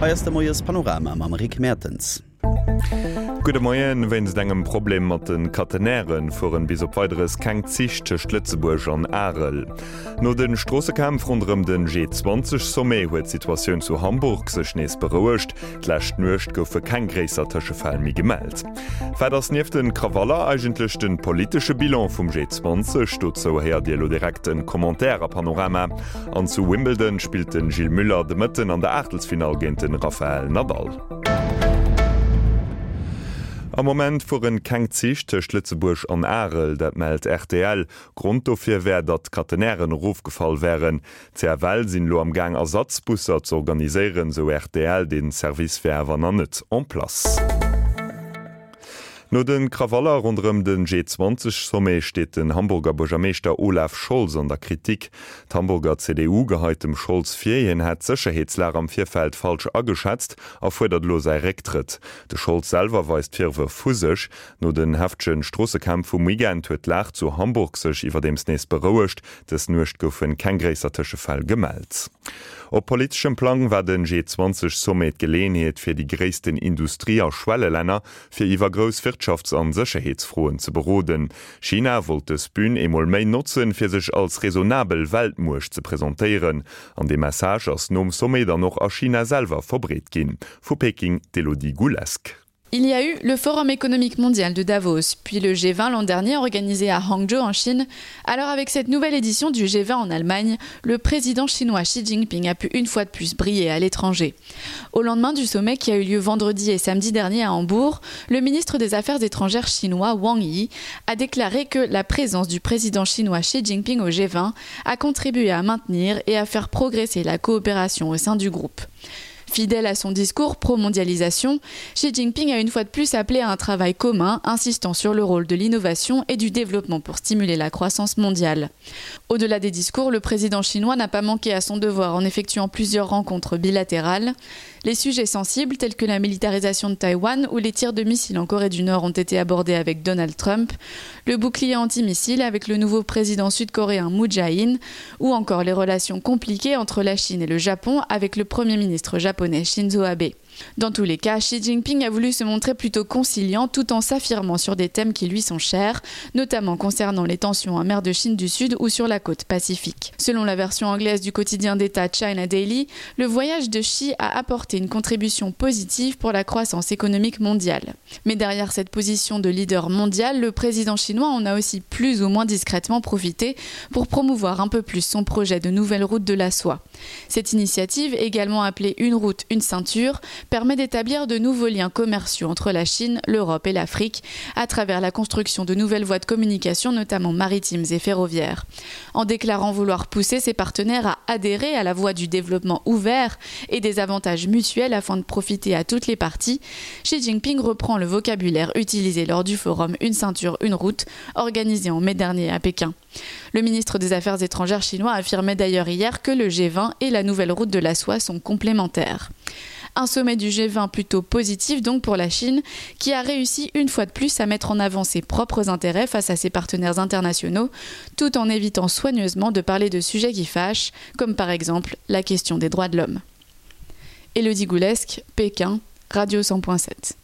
Hei ass de Moies Panorama mam Rick Mertens. Gudde Moien. Wéinst engem Problem mat de Catenairen fueren bis op Weideres keng Zich tëscht Lëtzebuerg an Arel. No de Stroossekämpf ronderëm den G20 Sommet huet d'Situatioun zu Hamburg sech nees berouegt. D'lescht Nuecht goufe keng gréisser Tëschefäll méi gemellt. Wat ass nieft de Krawaller eigentlech de politesche Bilan vum G20? Dozou héiert Dir elo direkt en Commentaire a Panorama. An zu Wimbledon spillt de Gilles Muller de Mëtten an der Aachtelsfinall géint de Rafael Nadal. Am Moment fueren keng Zich tëscht Lëtzebuerg an Arel, dat mellt rtl. Grond dofir wär, datt d'Catenairen erofgefall wären. D'CFL sinn elo am Gaang Ersatzbusser z'organiséieren, sou rtl. Dee Service wär awer nach net en place. No de Krawaller ronderëm de G20-Sommet steet den Hamburger Buergermeeschter Olaf Scholz an der Kritik. D'Hamburger CDU geheit dem Scholz vir, hien hätt d'Sécherheetslag am Virfeld falsch ageschätzt a fuerdert elo säi Récktrëtt. De Scholz selwer weist d'Virwërf vu sech. No den heftege Stroossekämpf vum Weekend huet d'Lag zu Hamburg sech iwwerdeems nees berouegt. Dës Nuecht goufe keng gréisser Tëschefäll gemellt. Op politeschem Plang war de G20-Sommet d'Geleeënheet fir déi gréissten Industrie a Schwellelänner, fir iwwer grouss Wirtschafts an Sécherheetsfroen ze beroden. China wollt dës Bün eemol méi notzen, fir sech als raisonnabel Weltmuecht ze presentéieren. An dee Message ass nom Sommet dann och a China selwer verbreet ginn. Vu Peking d'Elodie Goulesque. Il y a eu le Forum économique mondial de Davos, puis le G20 l'an dernier organisé à Hangzhou en Chine. Alors avec cette nouvelle édition du G20 en Allemagne, le président chinois Xi Jinping a pu une fois de plus briller à l'étranger. Au lendemain du sommet qui a eu lieu vendredi et samedi dernier à Hambourg, le ministre des Affaires étrangères chinois Wang Yi a déclaré que la présence du président chinois Xi Jinping au G20 a contribué à maintenir et à faire progresser la coopération au sein du groupe. Fidèle à son discours pro-mondialisation, Xi Jinping a une fois de plus appelé à un travail commun, insistant sur le rôle de l'innovation et du développement pour stimuler la croissance mondiale. Au-delà des discours, le président chinois n'a pas manqué à son devoir en effectuant plusieurs rencontres bilatérales. Les sujets sensibles tels que la militarisation de Taïwan ou les tirs de missiles en Corée du Nord ont été abordés avec Donald Trump, le bouclier antimissile avec le nouveau président sud-coréen Moon Jae-in ou encore les relations compliquées entre la Chine et le Japon avec le premier ministre japonais Shinzo Abe. Dans tous les cas, Xi Jinping a voulu se montrer plutôt conciliant tout en s'affirmant sur des thèmes qui lui sont chers, notamment concernant les tensions en mer de Chine du Sud ou sur la côte pacifique. Selon la version anglaise du quotidien d'État China Daily, le voyage de Xi a apporté une contribution positive pour la croissance économique mondiale. Mais derrière cette position de leader mondial, le président chinois en a aussi plus ou moins discrètement profité pour promouvoir un peu plus son projet de nouvelle route de la soie. Cette initiative, également appelée une route, une ceinture, permet d'établir de nouveaux liens commerciaux entre la Chine, l'Europe et l'Afrique à travers la construction de nouvelles voies de communication, notamment maritimes et ferroviaires. En déclarant vouloir pousser ses partenaires à adhérer à la voie du développement ouvert et des avantages mutuels afin de profiter à toutes les parties, Xi Jinping reprend le vocabulaire utilisé lors du forum Une ceinture, une route organisé en mai dernier à Pékin. Le ministre des Affaires étrangères chinois affirmait d'ailleurs hier que le G20 et la nouvelle route de la soie sont complémentaires. Un sommet du G20 plutôt positif donc pour la Chine, qui a réussi une fois de plus à mettre en avant ses propres intérêts face à ses partenaires internationaux, tout en évitant soigneusement de parler de sujets qui fâchent, comme par exemple la question des droits de l'homme. Elodie Goulesque, Pékin, Radio 100.7.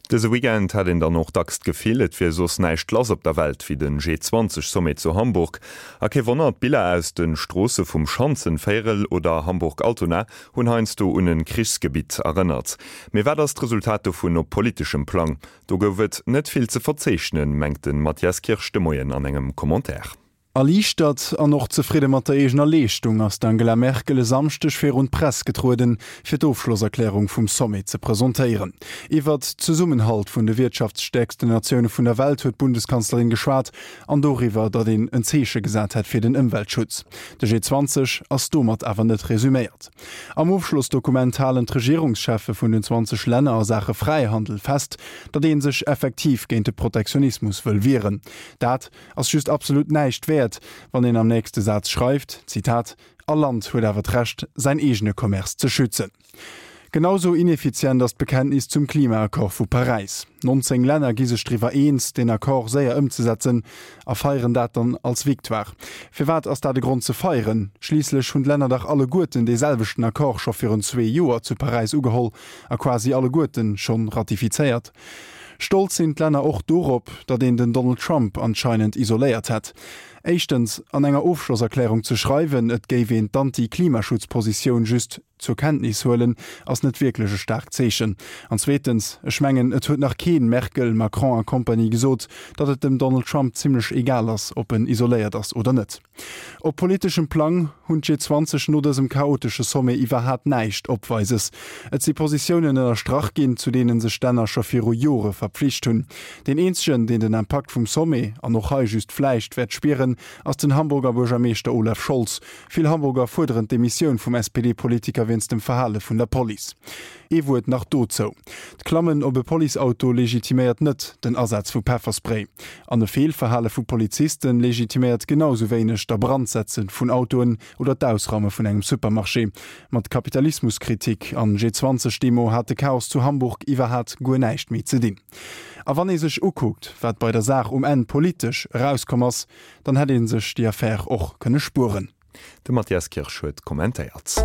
Dëse Weekend hat een dann och dacks d'Gefill, et wier soss näischt lass op der Welt wéi den G20-Sommet zu Hamburg. A kee Wonner, d'Biller aus de Stroosse vum Schanzenvéierel oder Hamburg-Altona hunn heiansdo un e Krichsgebitt erënnert. Mee wat ass d'Resultat dovun op politeschem Plang? Do gouf et net vill ze verzeechnen, mengt de Mathias Kirsch de Moien an engem Commentaire. Erliichtert an och zefridde mat der eegener Leeschtung ass d'Angela Merkel e Samschdeg virun d'Press getrueden, fir d'Ofschlosserklärung vum Sommet ze presentéieren. Iwwert Zesummenhalt vun de wirtschaftsstäerksten Natioune vun der Welt huet d'Bundeskanzlerin geschwat an doriwwer, datt een en Zeeche gesat hätt fir den Ëmweltschutz. De G20 ass domat awer net resuméiert. Am Ofschlossdokument halen d'Regierungscheffe vun den 20 Länner a Saache Fräihandel fest, datt ee sech effektiv géint de Protektionismus wëll wieren. Dat ass just absolut näischt wäert, wann een am nächste Saz schreift, Zitat, All Land huet awer d'Recht, säin eegene Commerce ze schützen. Genau sou ineffizient ass d'Bekenntnis zum Klimaaccord vu Paräis. 19 Länner gi sech driwwer eens, deen Accord séier ëmzesetzen a feieren dat dann als Victoire. Firwat ass dat e Grond ze feieren? Schliisslech hunn d'Länner dach alleguerten dee selwechten Accord scho virun zwee Joer zu Paräis ugeholl a quasi alleguerten schonn ratifizéiert. Stolz sinn d'Länner och dorop, datt een den Donald Trump anscheinend isoléiert hätt. Éischtens, an enger Ofschlosserklärung ze schreiwen, et géif een d'Anti-Klimaschutz-Positioun just zur Kenntnis huelen, ass net wierklech e staarkt Zeechen. An zweetens, ech mengen, et huet nach keen, Merkel, Macron a Compagnie, gesot, datt et dem Donald Trump zimlech egal ass, ob en isoléiert ass oder net. Op politeschem Plang hunn d'G20 no dësem chaotesche Sommet iwwerhaat näischt Opweises. Et si Positiounen ënnerstrach ginn, zu deene sech d'Länner scho viru Jore verpflicht hunn. Deen eenzegen, deen den Impakt vum Sommet, an och hei just vläicht, wäert spieren, ass den Hamburger Buergermeeschter Olaf Scholz. Vill Hamburger fuerderen d'Demissioun vum SPD-Politiker wéinst dem Verhale vun der Police. Ee Wuert nach dozou, D'Klammen op e Policeauto legitiméiert net den Asaz vu Pefferspray. An e Feelverhale vu Poliziste legitiméiert genau sou wéineg d'Abrandsetze vun Autoen oder d'Ausraume vun engem Supermarché. Mat Kapitalismuskritik an G20-Demo hat de Chaos zu Hamburg iwwerhat guer näischt méi ze dinn. A wann ee sech ukuckt, wat bei der Saach um Enn politesch erauskomm ass, Dann hätt ee sech déi Affär och kënne spueren. De Mathias Kirsch huet kommentéiert.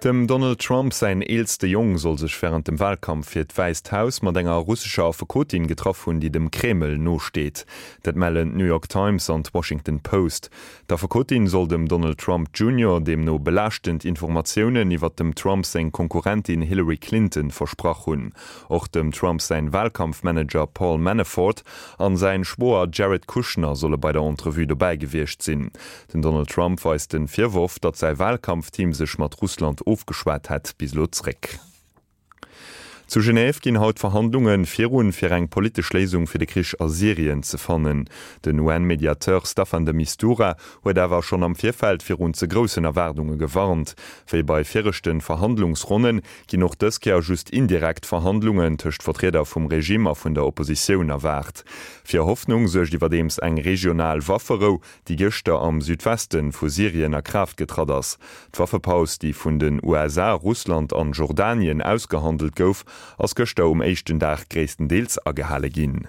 Dem Donald Trump säin eelste Jong soll sech wärend dem Walkampf fir d'Wäisst Haus mat enger russescher Affekotin getraff hunn, déi dem Kreml nosteet. Dat mellen d'New York Times an d'Washington Post. D'Affekotin soll dem Donald Trump Junior deemno belaaschtend Informatiounen iwwer dem Trump seng Konkurrentin Hillary Clinton versprach hunn. Och dem Trump säin Walkampfmanager Paul Manafort an säin Schwoer Jared Kushner solle bei der Entrevue dobäi gewiescht sinn. Den Donald Trump weist den Virworf, datt säi Walkampfteam sech mat Russland ofgeschwat hätt, bis elo zréck. Zu Genève ginn haut Verhandlunge virun, fir eng politesch Léisung fir de Krich a Syrien ze fannen. Den UN-Mediateur Staffan de Mistura huet awer schonn am Virfeld virun ze groussen Erwaardunge gewarnt. Wéi bei viregte Verhandlungsronnen ginn och dës Kéier just indirekt Verhandlungen tëscht Vertrieder vum Regime a vun der Oppositioun erwaart. Fir Hoffnung suergt iwwerdeems eng regional Wafferou, déi gëschter am Südweste vu Syrien a Kraaft getratt ass. D'Waffepaus, déi vun den USA, Russland an Jordanien ausgehandelt gouf, ass gëschter um éischten Dag gréisstendeels agehale ginn.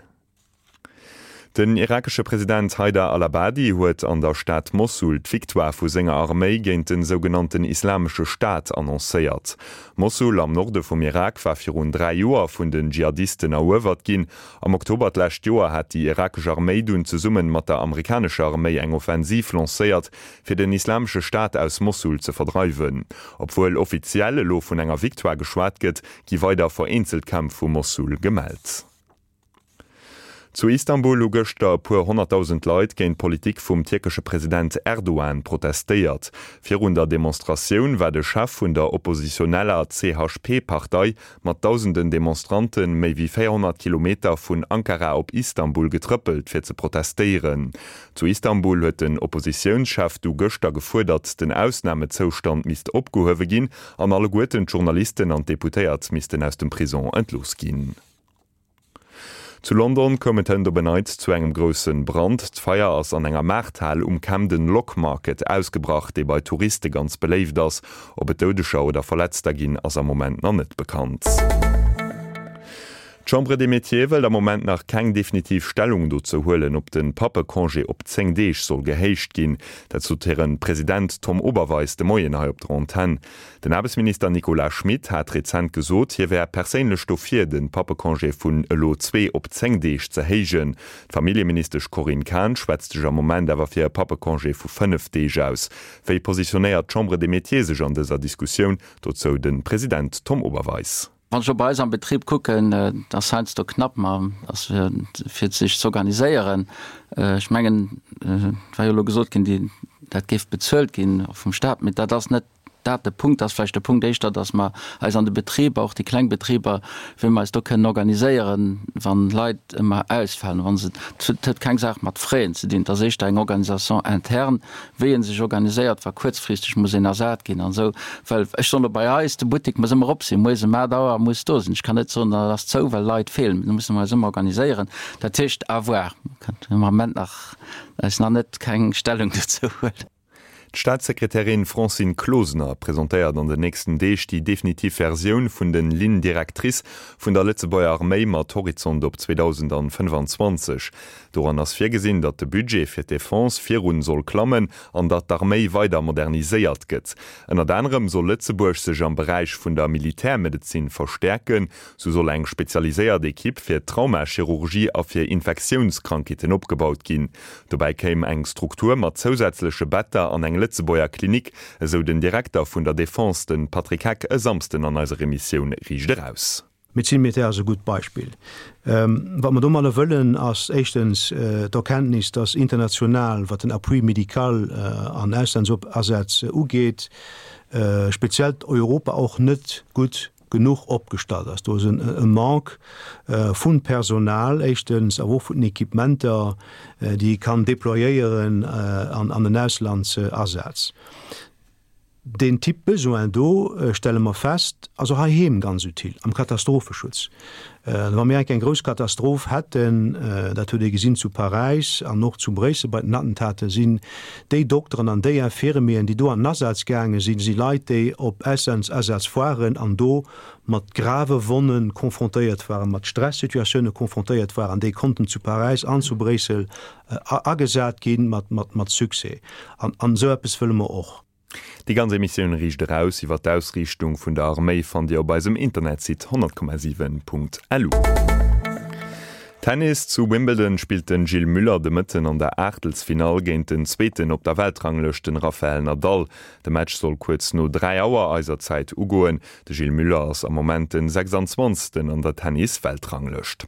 Den irakesche President Haider al-Abadi huet an der Stad Mossul d'Victoire vu senger Arméi géint de sougenannten Islamesche Staat annoncéiert. Mossul am Norde vum Irak war virun 3 Joer vun den Dschihadisten eruewert ginn. Am Oktober d'lescht Joer hat déi irakesch Arméi dunn zesumme mat der amerikanescher Arméi eng Offensiv lancéiert, fir den Islamesche Staat aus Mossul ze verdreiwen. Obwuel offiziell elo vun enger Victoire geschwat gëtt, gi weider vereenzelt Kämpf vu Mossul gemellt. Zu Istanbul hu gëschter e puer 100.000 Leit géint d'Politik vum tierkesche President Erdogan protestéiert. Virun der Demonstratioun war de Chef vun der oppositioneller CHP-Partei mat dausenden Demonstrante méi wéi 400 Kilometer vun Ankara op Istanbul getrëppelt fir ze protestéieren. Zu Istanbul huet den Oppositiounschef du gëschter gefuerdert, den Ausnamezoustand misst opgehuewe ginn an alleguerten d'Journalisten an d'Deputéiert missten aus dem Prison entlooss ginn. Zu London koum et hënt op en Neits zu engem grousse Brand. D'Feier ass an enger Maarthal um Camden Lock Market ausgebrach, dee bei Touriste ganz beléift ass. Ob et Doudeger oder Verletzter ginn, ass am Moment nach net bekannt. D'Chambre des Métiers wëllt am Moment nach keng definitiv Stellung dozou huelen, ob de Pappecongé op 10 Deeg soll gehéicht ginn. Dat sot hire President Tom Oberweis de Moien hei op der Antenn. Den Aarbechtsminister Nicolas Schmit hat rezent gesot, hie wär perséinlech dofir, de Pappecongé vun elo zwee op 10 Deeg ze héijen. D'Familljeministesch Corinne Cahen schwätzt sech am Moment awer fir e Pappecongé vu 5 Deeg aus. Wéi positionéiert d'Chambre des Métiers sech an dëser Diskussioun? Dozou de President Tom Oberweis. Wann ech elo bei eis am Betrib kucken, et ass heiansdo knapp, ma ass fir sech z'organiséieren. Ech mengen, et war jo elo gesot ginn, déi dat géif bezuelt ginn och vum Staat, mee dat ass net dat de Punkt. Ass vläicht de Punkt éischter, datt mer eis an de Betriber, och déi kleng Betriber, wéi mer eis do kënnen organiséieren, wann Leit ëmmer ausfalen, wa se, et huet keng Saach mat Frais ze dinn, et ass éischter eng Organisation interne, wéi ee sech organiséiert, wa kuerzfristeg muss een ersat ginn an esou. Well ech soen elo bei eis, de Buttek muss ëmmer op sinn, moies ëm 8 Auer muss do sinn. Ech kann net soen, dat ass zou, well Leit feelen. Do musse mer eis ëmmer organiséieren. Dat heescht, à voir. Mer kënnen am Moment nach eis nach net keng Stellung dozou huelen. D'Staatssekretärin Francine Closener presentéiert an den nächsten Deeg déi definitiv Versioun vun den Lignes directrices vun der Lëtzebuerger Arméi mat Horizont op 2025. Doran ass virgesinn, datt de Budget fir d'Defense virun soll klammen an datt d'Arméi weider moderniséiert gëtt. Ënnert anerem soll Lëtzebuerg sech am Beräich vun der Militärmedezin verstäerken. Sou soll eng spezialiséiert Ekipp fir Traumachirurgie a fir Infektiounskrankheeten opgebaut ginn. Dobäi kéim eng Struktur mat zousätzleche Better an eng Lëtzebuerger Klinik, esou den Direkter vun der Defense, de Patrick Heck, e Samsden an eiser Emissioun Riicht Eraus. D'Médecine militaire ass e gutt Beispill. Wat mer domadder wëllen, ass éischtens d'Erkenntnis, dass international, wat den Appui médical an Auslandsasätz ugeet, speziell Europa och net gutt genuch opgestallt ass. Do ass e Manque vu Personal éischtens, awer och vun den Equipementer, déi ee kann déployéieren an den Auslandsasaz. Deen Typ Besoin do, stelle mer fest, ass och heiheem ganz utile am Katastropheschutz. Wa mir enk eng grouss Katastroph hätten, dat huet ee gesinn zu Paräis an och zu Bréissel bei den Attentaten, sinn déi Dokteren an déi Infirmieren, déi do an den Asaz gaange sinn, si Leit, déi op Auslandsasaz waren an do mat grave Wonne confrontéiert waren, mat Stressituatioune confrontéiert waren, déi konnten zu Paräis an zu Bréissel agesat gi mat Succès. An esou eppes wëlle mer och. Déi ganz Emissioun Riicht Eraus iwwer d'Ausriichtung vun der Arméi fannt Dir op eisem Internetsite 100,7.lu. Tennis, Zu Wimbledon spillt den Gilles Müller de Mëtten an der Aachtelsfinall géint den Zweeten op der Weltranglëscht, den Rafael Nadal. De Match soll kuerz no 3 Auer eiser Zäit ugoen. De Gilles Müller ass am Moment den 26. an der Tennis-Weltranglëscht.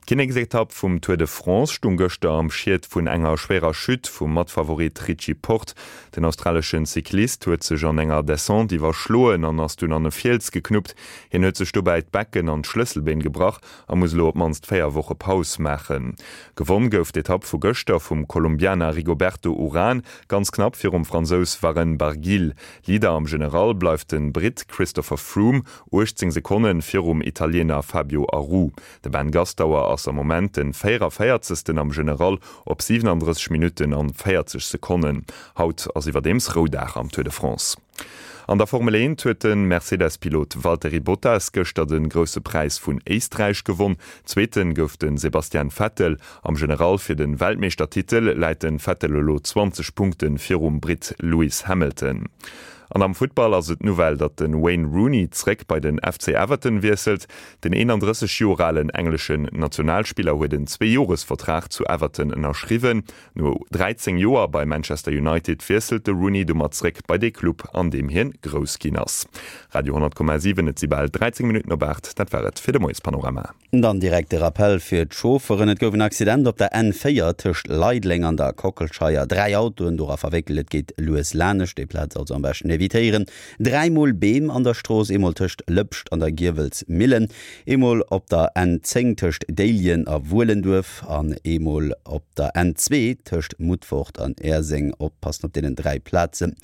D'Kinneksetapp vum Tour de France stung gëschter am Schiet vun enger schwéirer Chute vum Matfavorit Richie Porte. Den australeschen Cyclist huet sech an enger Descente iwwerschloen an ass dunn an e Fiels geknuppt. Hien huet sech dobäi d'Becken an d'Schlësselbeen gebrach a muss elo op d'mannst 4 Woche Paus maachen. Gewonn gouf d'Etapp vu gëschter vum Kolumbianer Rigoberto Uran, ganz knapp virum Fransous Warren Barguil. Leader am General bleift de Britt Christopher Froome, 18 Sekonne virum Italiener Fabio Aru. De Ben Gastauer ass am Moment den 44. Am General op 37 Minutten an 40 Sekonnen. Haut ass iwwerdeems Roudag am Tour de France. An der Formel 1 huet de Mercedes-Pilot Valtteri Bottas gëschter de Grousse Präis vun Éisträich gewonn. Zweete gouf de Sebastian Vettel. Am General fir de Weltmeeschtertitel läit de Vettel elo 20 Punkte virum Britt Lewis Hamilton. An am Futtball ass et d'Nouvelle, datt de Wayne Rooney zréck bei den FC Everton wiesselt. Den 31 Joer alen engleschen Nationalspiller huet en Zweejoresvertrag zu Everton ënnerschriwwen. No 13 Joer bei Manchester United wiesselt de Rooney domat zréck bei dee Club, an deem hien grouss ginn ass. Radio 10,7 Et si bal 13 Minutten op 8. Dat war et fir de Moiespanorama. Dann direkt de Rappel fir d'Chaufferen, Et gouf en Accident op der N4 tëscht Leideleng an der Kockelscheier. 3 Autoen dora verwéckelt. Et geet lues lanescht, déi Plaz also am beschten evitéieren. 3 mol Beem an der Strooss, eemol tëscht Lëpscht an der Giewelsmillen, eemol op der N10 tëscht Déiljen a Wuelenduerf an eemol op der N2 tëscht Mutfort an Äerseng. Oppassen op deenen 3 Plazen.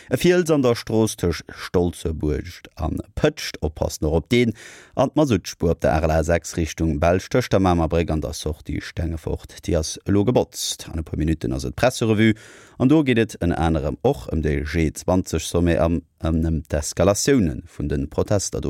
E Fiels an der Strooss tëscht Stolzebuerg an Pëtscht, oppassen och op deen. An d'Masuttspuer op der RLA 6 Richtung Belsch tëscht der Mamer Bréck an der Sortie Stengefort, déi ass elo gebotzt. An e puer Minutten ass et d'Presserevue an do geet et ënner anerem och ëm de G20 Sommet an ëm d'Eskalatioune vun de Protester do.